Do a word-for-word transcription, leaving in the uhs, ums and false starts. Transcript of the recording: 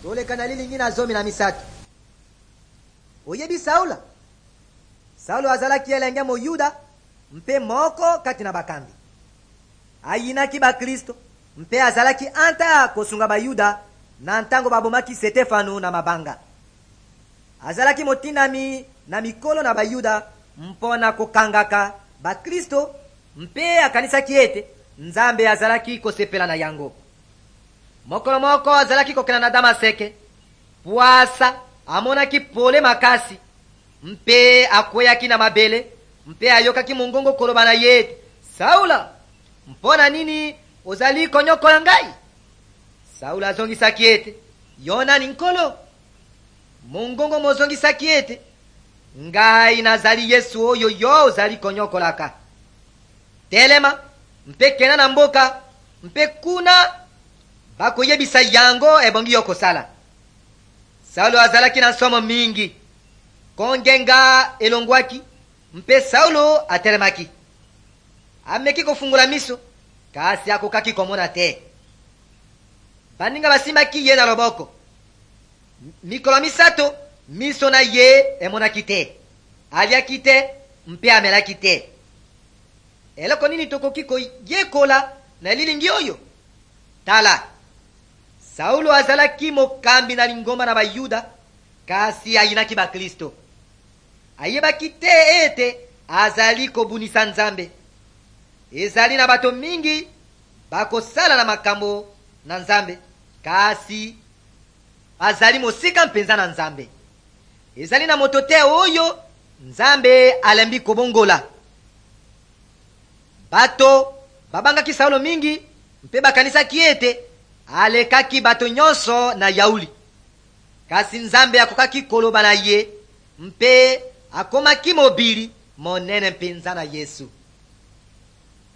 tolekana lilingina zomi na misato. Oyebi Saula. Saulo azalaki elenge mo Yuda mpe moko kati na bakambi. Ayinaki ba Kristo mpe azalaki anta kosunga ba Yuda na ntango babomaki Stefano na mabanga. Azalaki motindami na mikolo na ba Yuda mpona kokangaka ba Kristo mpe akanisaki ete Nzambe azalaki kosepela na yango. Mokolo moko azalaki kokena na Damaseke. Puasa amonaki pole makasi mpe akweyaki na mabele mpe ayokaki mongongo koloba na ye, Saula, mpona nini ozali konyokola ngai? Saula azongisaki ete, Yona ni nkolo. Mongongo mozongisaki ete, ngai nazali Yesu oyo yo ozali konyokolaka. Telema mpe kena na mboka mpe kuna bakoyebisa yango ebongi yo kosala. Saulo azalaki na somo mingi. Kongenga elongwaki mpe Saulo atelemaki. Ameki kofungula miso kasi akokaki komona te. Baninga basimaki ye na loboko. Mikolo misato miso na ye emonaki te. Aliaki te mpe amelaki te. Eloko nini tokoki koyekola na lilingi oyo? Tala, Saulo azalaki mokambi na lingomba na Bayuda kasi ayinaki ba Kristo. Ayebaki te ete azali kobunisa Nzambe. Ezali na bato mingi bakosala na makambo na Nzambe kasi azali mosika mpenza na Nzambe. Ezali na moto te oyo Nzambe alembi kobongola. Bato babangaki Saulo mingi mpe bakanisaki ete alekaki bato nyonso na yauli. Kasi Nzambe akokaki koloba na ye mpe akomaki mobili monene mpenza na Yesu.